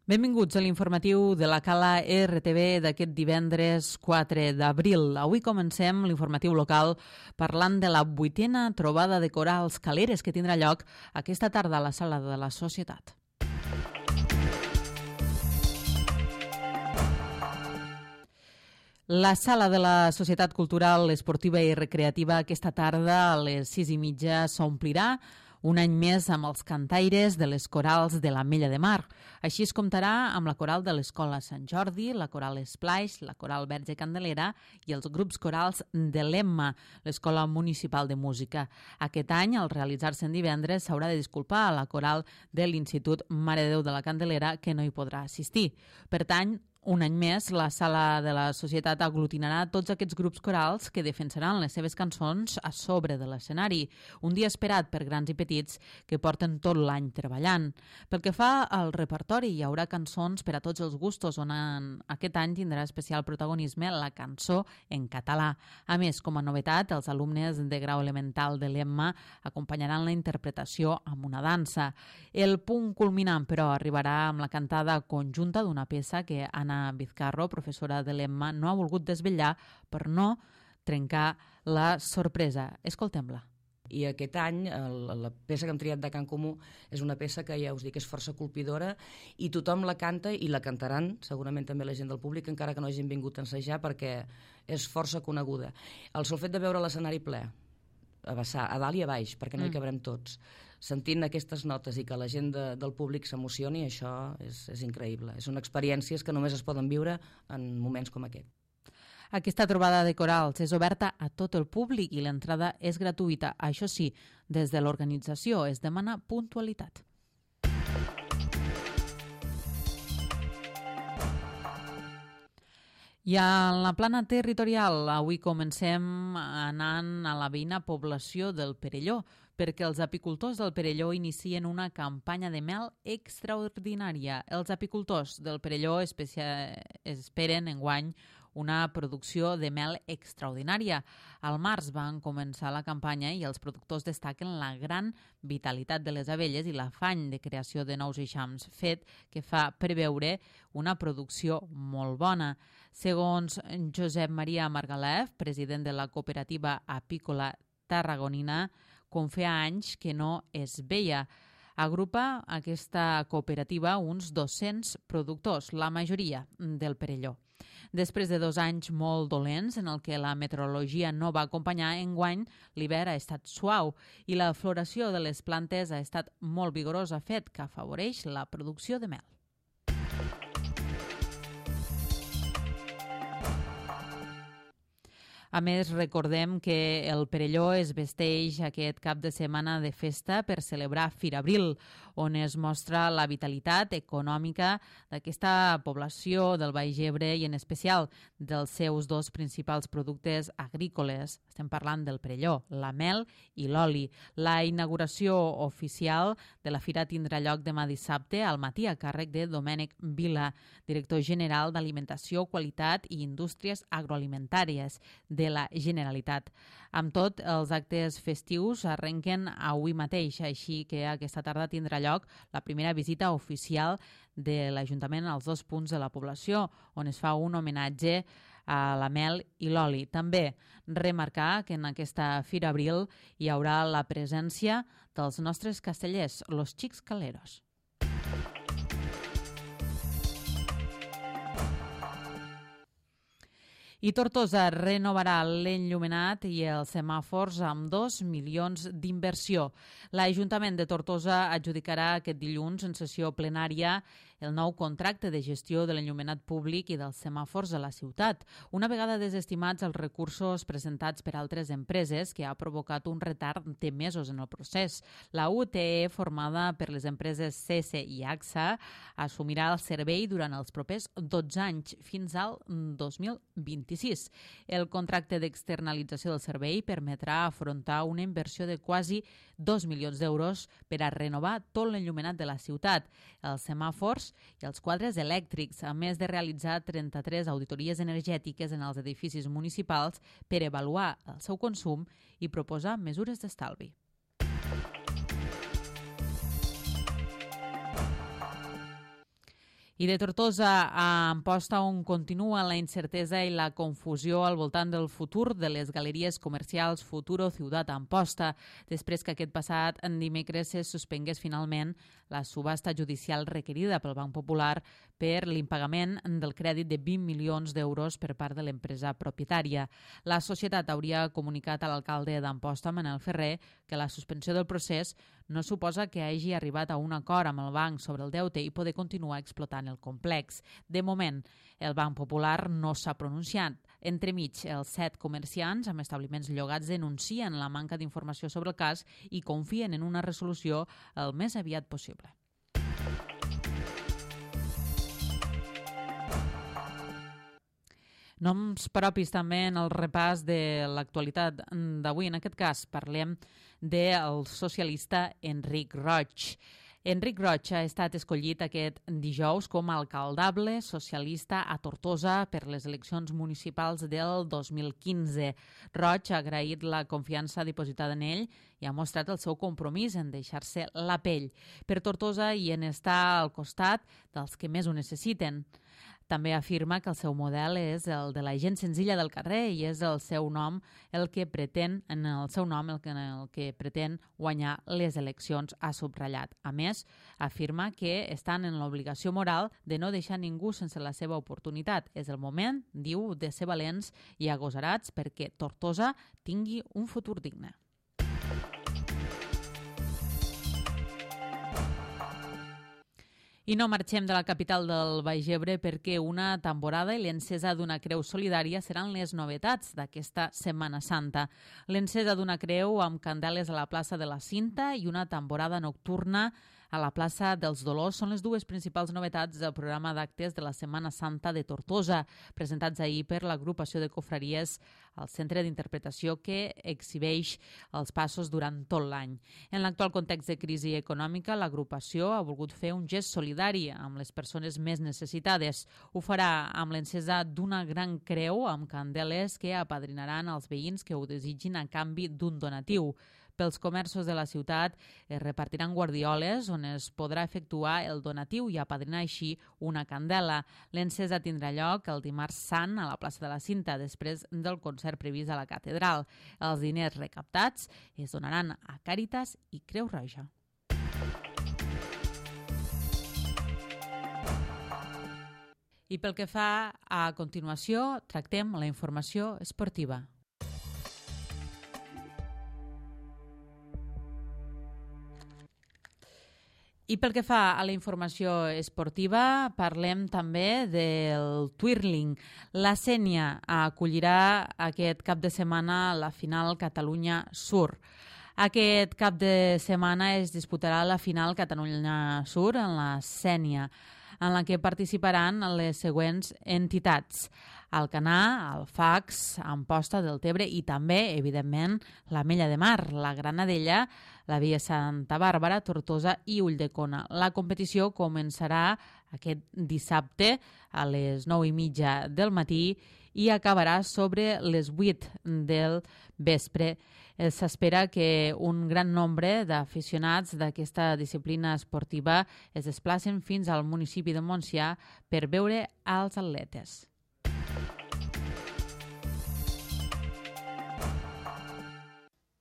Benvinguts a l'informatiu de la Cala RTV d'aquest divendres 4 d'abril. Avui comencem l'informatiu local parlant de la 8a trobada de corals caleres que tindrà lloc aquesta tarda a la Sala de la Societat. La Sala de la Societat Cultural, Esportiva i Recreativa aquesta tarda a les 6:30 s'omplirà un any més amb els cantaires de les corals de l'Ametlla de Mar. Així es comptarà amb la coral de l'Escola Sant Jordi, la coral Splash, la coral Verge Candelera i els grups corals de l'Emma, l'Escola Municipal de Música. Aquest any, al realitzar-se en divendres, s'haurà de disculpar a la coral de l'Institut Mare de Déu de la Candelera, que no hi podrà assistir. Per tant, un any més, la Sala de la Societat aglutinarà tots aquests grups corals que defensaran les seves cançons a sobre de l'escenari. Un dia esperat per grans i petits que porten tot l'any treballant. Pel que fa al repertori, hi haurà cançons per a tots els gustos, on aquest any tindrà especial protagonisme la cançó en català. A més, com a novetat, els alumnes de grau elemental de l'Emma acompanyaran la interpretació amb una dansa. El punt culminant, però, arribarà amb la cantada conjunta d'una peça que Anna Vizcarro, professora de l'Emma, no ha volgut desvetllar per no trencar la sorpresa. Escoltem-la. I aquest any la peça que hem triat de Cant Comú és una peça que ja us dic és força colpidora i tothom la canta i la cantaran, segurament també la gent del públic, encara que no hagin vingut a ensejar, perquè és força coneguda. El sol fet de veure l'escenari ple, a vessar, a dalt i a baix, perquè no hi cabrem tots, sentint aquestes notes i que la gent del públic s'emocioni, això és increïble. Són experiències que només es poden viure en moments com aquest. Aquesta trobada de corals és oberta a tot el públic i l'entrada és gratuïta. Això sí, des de l'organització es demana puntualitat. I en la plana territorial, avui comencem anant a la veïna població del Perelló, perquè els apicultors del Perelló inicien una campanya de mel extraordinària. Els apicultors del Perelló esperen enguany una producció de mel extraordinària. Al març van començar la campanya i els productors destaquen la gran vitalitat de les abelles i l'afany de creació de nous eixams, fet que fa preveure una producció molt bona. Segons Josep Maria Margalef, president de la cooperativa apícola tarragonina, com feia anys que no es veia. Agrupa aquesta cooperativa uns 200 productors, la majoria del Perelló. Després de 2 anys molt dolents en el que la meteorologia no va acompanyar, enguany l'hivern ha estat suau i la floració de les plantes ha estat molt vigorosa, fet que afavoreix la producció de mel. A més, recordem que el Perelló es vesteix aquest cap de setmana de festa per celebrar Fira Abril, on es mostra la vitalitat econòmica d'aquesta població del Baix Ebre i en especial dels seus 2 principals productes agrícoles. Estem parlant del Perelló, la mel i l'oli. La inauguració oficial de la fira tindrà lloc demà dissabte al matí a càrrec de Domènec Vila, director general d'Alimentació, Qualitat i Indústries Agroalimentàries de la Generalitat. Amb tot, els actes festius arrenquen avui mateix, així que aquesta tarda tindrà lloc la primera visita oficial de l'Ajuntament als 2 punts de la població, on es fa un homenatge a la mel i l'oli. També remarcar que en aquesta Fira Abril hi haurà la presència dels nostres castellers, los Xics Caleros. I Tortosa renovarà l'enllumenat i els semàfors amb 2 milions d'inversió. L'Ajuntament de Tortosa adjudicarà aquest dilluns en sessió plenària el nou contracte de gestió de l'enllumenat públic i dels semàfors a la ciutat, una vegada desestimats els recursos presentats per altres empreses, que ha provocat un retard de mesos en el procés. La UTE, formada per les empreses CESE i AXA, assumirà el servei durant els propers 12 anys, fins al 2026. El contracte d'externalització del servei permetrà afrontar una inversió de quasi 2 milions d'euros per a renovar tot l'enllumenat de la ciutat, els semàfors i els quadres elèctrics, a més de realitzar 33 auditories energètiques en els edificis municipals per avaluar el seu consum i proposar mesures d'estalvi. I de Tortosa a Amposta, on continua la incertesa i la confusió al voltant del futur de les galeries comercials Futuro Ciutat Amposta, després que aquest passat dimecres se suspengués finalment la subhasta judicial requerida pel Banc Popular per l'impagament del crèdit de 20 milions d'euros per part de l'empresa propietària. La societat hauria comunicat a l'alcalde d'Amposta, Manel Ferrer, que la suspensió del procés no suposa que hagi arribat a un acord amb el banc sobre el deute i poder continuar explotant el complex. De moment, el Banc Popular no s'ha pronunciat. Entremig, els 7 comerciants amb establiments llogats denuncien la manca d'informació sobre el cas i confien en una resolució el més aviat possible. Noms propis també en el repàs de l'actualitat d'avui. En aquest cas parlem del socialista Enric Roig. Enric Roig ha estat escollit aquest dijous com a alcaldable socialista a Tortosa per les eleccions municipals del 2015. Roig ha agraït la confiança dipositada en ell i ha mostrat el seu compromís en deixar-se la pell per Tortosa i en estar al costat dels que més ho necessiten. També afirma que el seu model és el de la gent senzilla del carrer i és el seu nom el que pretén guanyar les eleccions, ha subratllat. A més, afirma que estan en l'obligació moral de no deixar ningú sense la seva oportunitat. És el moment, diu, de ser valents i agosarats perquè Tortosa tingui un futur digne. I no marxem de la capital del Baix Ebre perquè una tamborada i l'encesa d'una creu solidària seran les novetats d'aquesta Setmana Santa. L'encesa d'una creu amb candeles a la plaça de la Cinta i una tamborada nocturna a la plaça dels Dolors són les dues principals novetats del programa d'actes de la Setmana Santa de Tortosa, presentats ahir per l'agrupació de confraries al centre d'interpretació que exhibeix els passos durant tot l'any. En l'actual context de crisi econòmica, l'agrupació ha volgut fer un gest solidari amb les persones més necessitades. Ho farà amb l'encesa d'una gran creu amb candeles que apadrinaran els veïns que ho desitgin a canvi d'un donatiu. Pels comerços de la ciutat es repartiran guardioles on es podrà efectuar el donatiu i apadrinar així una candela. L'encesa tindrà lloc el dimarts sant a la plaça de la Cinta, després del concert previst a la catedral. Els diners recaptats es donaran a Càritas i Creu Roja. I pel que fa a continuació, tractem la informació esportiva. I pel que fa a la informació esportiva, parlem també del twirling. La Sénia acollirà aquest cap de setmana la final Catalunya Sur. Aquest cap de setmana es disputarà la final Catalunya Sur en la Sénia, en la que participaran les següents entitats: Alcanar, Alfax, Amposta del Tebre i també, evidentment, l'Ametlla de Mar, la Granadella, la Via Santa Bàrbara, Tortosa i Ulldecona. La competició començarà aquest dissabte a les 9:30 del matí i acabarà sobre les 8 del vespre. S'espera que un gran nombre d'aficionats d'aquesta disciplina esportiva es desplacen fins al municipi de Montsià per veure els atletes.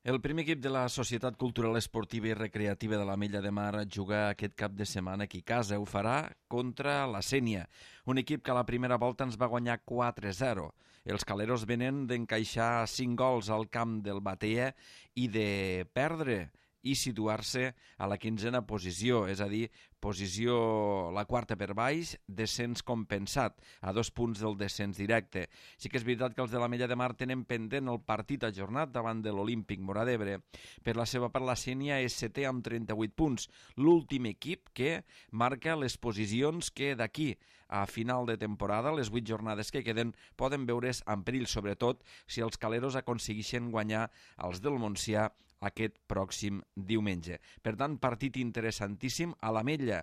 El primer equip de la Societat Cultural Esportiva i Recreativa de l'Ametlla de Mar juga aquest cap de setmana aquí a casa. Ho farà contra la Sénia, un equip que a la primera volta ens va guanyar 4-0. Els caleros venen d'encaixar 5 gols al camp del Batea i de perdre i situar-se a la 15a posició, és a dir, posició la quarta per baix, descens compensat, a 2 punts del descens directe. Sí que és veritat que els de l'Ametlla de Mar tenen pendent el partit ajornat davant de l'Olímpic Móra d'Ebre. Per la seva part, la Sénia és setè amb 38 punts, l'últim equip que marca les posicions que d'aquí a final de temporada, les 8 jornades que queden, poden veure's en perill, sobretot si els caleros aconsegueixen guanyar els del Montsià aquest pròxim diumenge. Per tant, partit interessantíssim. A l'Ametlla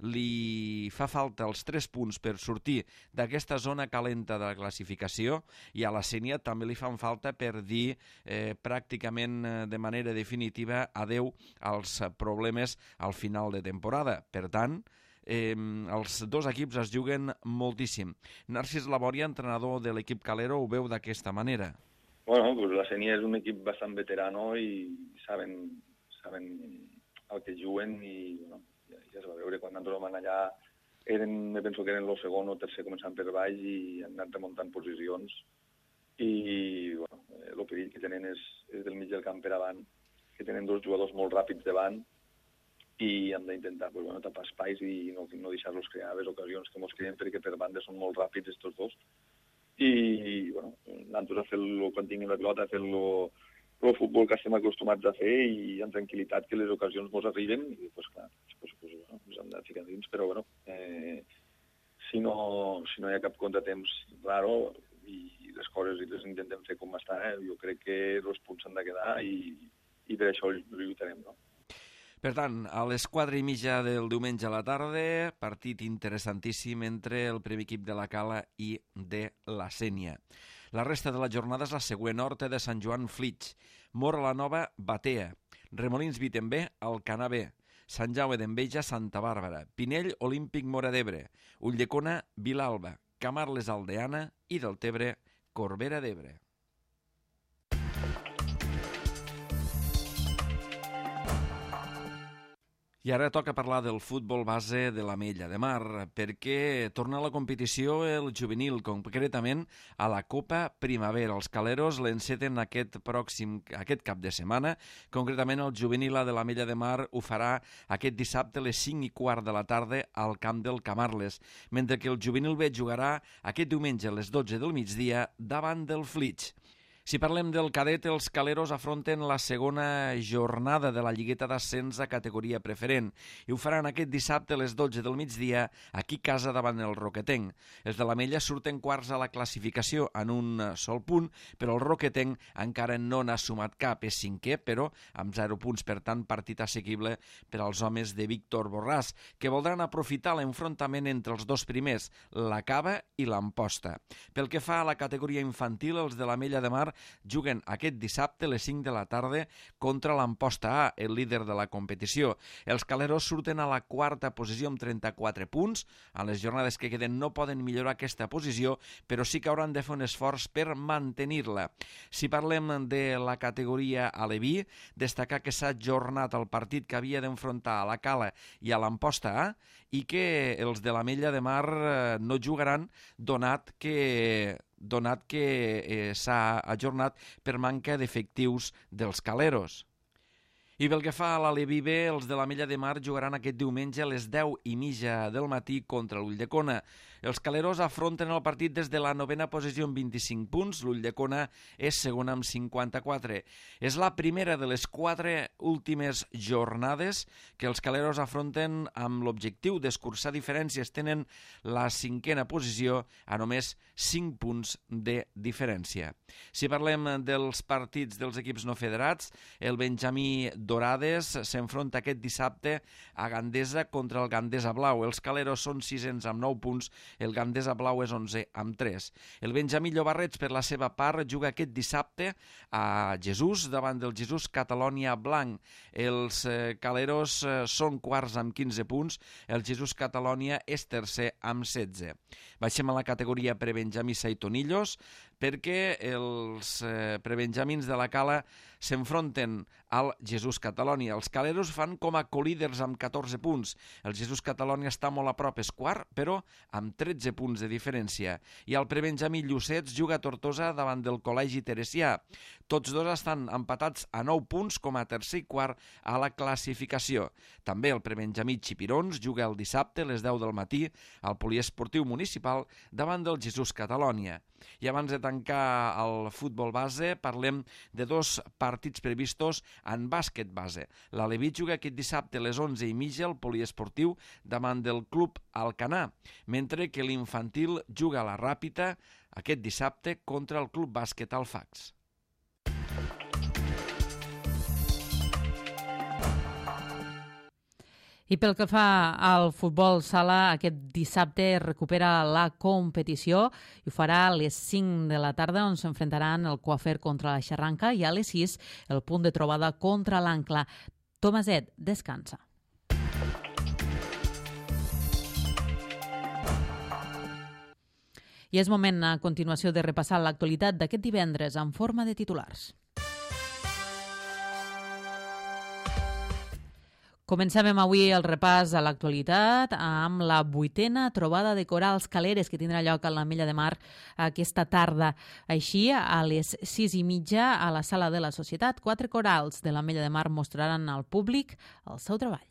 li fa falta els 3 punts per sortir d'aquesta zona calenta de la classificació i a la Sénia també li fan falta per dir pràcticament de manera definitiva adeu als problemes al final de temporada. Per tant, els dos equips es juguen moltíssim. Narcís Laboria, entrenador de l'equip calero, ho veu d'aquesta manera. Bueno, pues la Sénia és un equip bastant veterano i saben el que juguen i bueno, ja es va veure quan nosaltres vam allà, me penso que eren el segon o tercer començant per baix i han anat remuntant posicions i bueno, el perill que tenen és del mig del camp per avant, que tenen dos jugadors molt ràpids davant i hem d'intentar pues, bueno, tapar espais i no deixar-los crear les ocasions que ens creen perquè per banda són molt ràpids estos dos i bueno, nosaltres a fer-lo quan tinguem la pilota, a fer-lo el futbol que estem acostumats a fer i amb tranquil·litat que les ocasions ens arriben i pues, clar, bueno, ens hem de ficar dins, però bueno, si no hi ha cap contratemps raro i les coses les intentem fer com està, jo crec que els punts s'han de quedar i per això lluitarem, no? Per tant, a les 4:30 del diumenge a la tarda, partit interessantíssim entre el primer equip de la Cala i de la Sénia. La resta de la jornada és la següent: Horta de Sant Joan, Flix; Móra la Nova, Batea; Remolins Vitembé, Alcanar B; Sant Jaume d'Enveja, Santa Bàrbara; Pinell, Olímpic Móra d'Ebre; Ulldecona, Vilalba; Camarles, Aldeana i Deltebre, Corbera d'Ebre. I ara toca parlar del futbol base de l'Ametlla de Mar, perquè torna a la competició el juvenil, concretament a la Copa Primavera. Els caleros l'enceten aquest cap de setmana, concretament el juvenil de l'Ametlla de Mar ho farà aquest dissabte a les 5:15 de la tarda al camp del Camarles, mentre que el juvenil B jugarà aquest diumenge a les 12 del migdia davant del Flix. Si parlem del cadet, els caleros afronten la segona jornada de la lligueta d'ascens a categoria preferent i ho faran aquest dissabte a les 12 del migdia aquí a casa davant el Roquetenc. Els de l'Ametlla surten quarts a la classificació en un sol punt, però el Roquetenc encara no n'ha sumat cap, és cinquè, però amb 0 punts, per tant partit assequible per als homes de Víctor Borràs, que voldran aprofitar l'enfrontament entre els dos primers, la Cava i l'Amposta. Pel que fa a la categoria infantil, els de l'Ametlla de Mar juguen aquest dissabte a les 5 de la tarda contra l'Amposta A, el líder de la competició. Els caleros surten a la quarta posició amb 34 punts. En les jornades que queden no poden millorar aquesta posició, però sí que hauran de fer un esforç per mantenir-la. Si parlem de la categoria aleví, destacar que s'ha ajornat el partit que havia d'enfrontar a la Cala i a l'Amposta A i que els de l'Ametlla de Mar no jugaran donat que s'ha ajornat per manca d'efectius dels caleros. I pel que fa a l'Aleví B, els de l'Ametlla de Mar jugaran aquest diumenge a les 10:30 del matí contra l'Ulldecona. Els caleros afronten el partit des de la 9ª posició amb 25 punts, l'Ulldecona és segona amb 54. És la primera de les 4 últimes jornades que els caleros afronten amb l'objectiu d'escurçar diferències. Tenen la 5ª posició a només 5 punts de diferència. Si parlem dels partits dels equips no federats, el Benjamí Dorades s'enfronta aquest dissabte a Gandesa contra el Gandesa Blau. Els caleros són 600 amb 9 punts, el Gandesa Blau és 11 amb 3. El Benjamí Llobarrets, per la seva part, juga aquest dissabte a Jesús davant del Jesús Catalònia Blanc. Els caleros són quarts amb 15 punts, el Jesús Catalònia és tercer amb 16. Baixem a la categoria prebenjamí Saitonillos, perquè els prebenjamins de la Cala s'enfronten al Jesús Catalònia. Els caleros fan com a colíders amb 14 punts. El Jesús Catalònia està molt a prop, és quart, però amb 13 punts de diferència. I el prebenjamí Llucets juga a Tortosa davant del Col·legi Teresià. Tots dos estan empatats a 9 punts com a tercer i quart a la classificació. També el prebenjamí Xipirons juga el dissabte a les 10 del matí al Poliesportiu Municipal davant del Jesús Catalònia. I abans de tancar el futbol base, parlem de 2 partits previstos en bàsquet base. L'Aleví juga aquest dissabte a les 11:30 al Poliesportiu davant del Club Alcanar, mentre que l'infantil juga a la Ràpita aquest dissabte contra el Club Bàsquet Alfax. I pel que fa al futbol sala, aquest dissabte recupera la competició i ho farà a les 5 de la tarda, on s'enfrontaran el Coafer contra la Xarranca i a les 6 el punt de trobada contra l'Ancla. Tomaset, descansa. I és moment a continuació de repassar l'actualitat d'aquest divendres en forma de titulars. Comencem avui el repàs a l'actualitat amb la 8a trobada de corals caleres que tindrà lloc a l'Ametlla de Mar aquesta tarda. Així, a les 6:30 a la Sala de la Societat, 4 corals de l'Ametlla de Mar mostraran al públic el seu treball.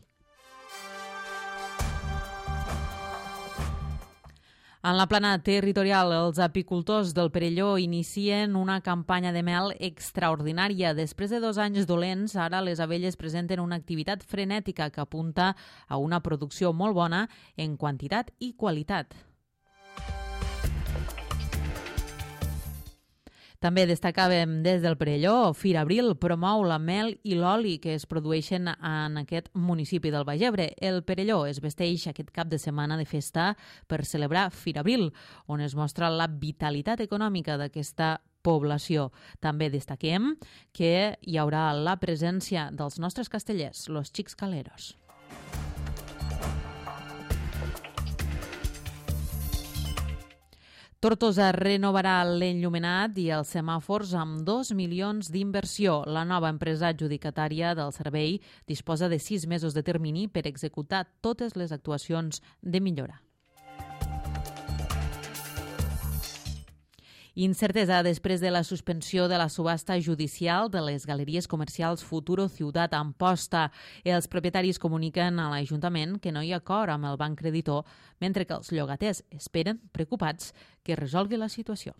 En la plana territorial, els apicultors del Perelló inicien una campanya de mel extraordinària. Després de 2 anys dolents, ara les abelles presenten una activitat frenètica que apunta a una producció molt bona en quantitat i qualitat. També destacàvem des del Perelló, Firabril promou la mel i l'oli que es produeixen en aquest municipi del Baix Ebre. El Perelló es vesteix aquest cap de setmana de festa per celebrar Firabril, on es mostra la vitalitat econòmica d'aquesta població. També destaquem que hi haurà la presència dels nostres castellers, los Xics Caleros. Tortosa renovarà l'enllumenat i els semàfors amb 2 milions d'inversió. La nova empresa adjudicatària del servei disposa de 6 mesos de termini per executar totes les actuacions de millora. Incertesa després de la suspensió de la subhasta judicial de les galeries comercials Futuro Ciutat Amposta. Els propietaris comuniquen a l'Ajuntament que no hi ha acord amb el banc creditor, mentre que els llogaters esperen, preocupats, que resolgui la situació.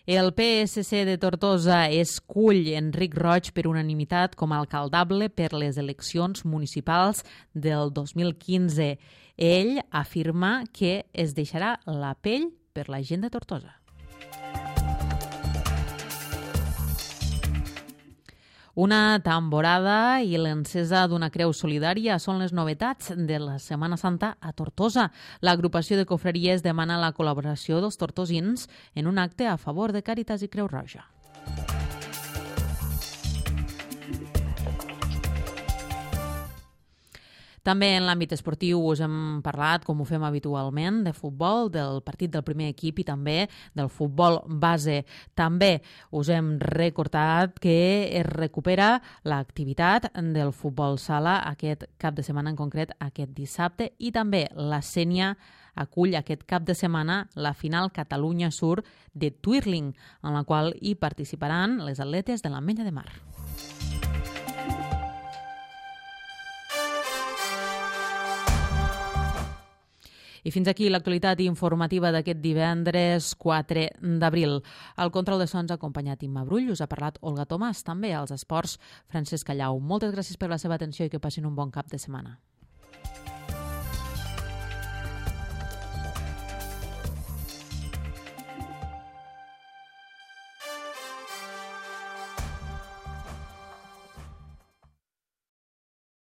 El PSC de Tortosa escull Enric Roig per unanimitat com a alcaldable per les eleccions municipals del 2015. Ell afirma que es deixarà la pell per la gent de Tortosa. Una tamborada i l'encesa d'una creu solidària són les novetats de la Setmana Santa a Tortosa. L'agrupació de confraries demana la col·laboració dels tortosins en un acte a favor de Càritas i Creu Roja. També en l'àmbit esportiu us hem parlat, com ho fem habitualment, de futbol, del partit del primer equip i també del futbol base. També us hem recordat que es recupera l'activitat del futbol sala aquest cap de setmana, en concret aquest dissabte, i també la Sénia acull aquest cap de setmana la final Catalunya Sur de Twirling, en la qual hi participaran les atletes de l'Ametlla de Mar. I fins aquí l'actualitat informativa d'aquest divendres 4 d'abril. Al control de sons ha acompanyat Imma Brull, us ha parlat Olga Tomàs, també als esports Francesc Callau. Moltes gràcies per la seva atenció i que passin un bon cap de setmana.